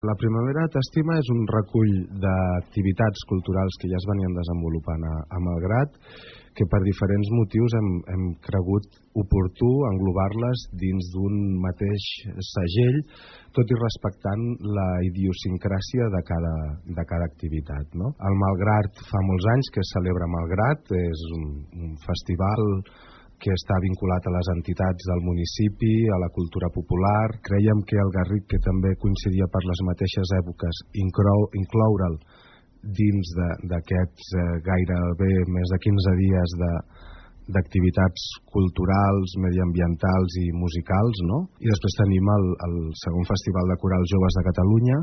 La Primavera t'Estima és un recull d'activitats culturals que ja es venien desenvolupant a Malgrat, que per diferents motius hem cregut oportú englobar-les dins d'un mateix segell, tot i respectant la idiosincràsia de cada activitat, no? El Malgrat fa molts anys que es celebra Malgrat, és un festival que està vinculat a les entitats del municipi, a la cultura popular. Crèiem que el Garric, que també coincidia per les mateixes èpoques, incloure'l dins d'aquests gairebé més de 15 dies d'activitats culturals, mediambientals i musicals, no? I després tenim el segon Festival de Corals Joves de Catalunya,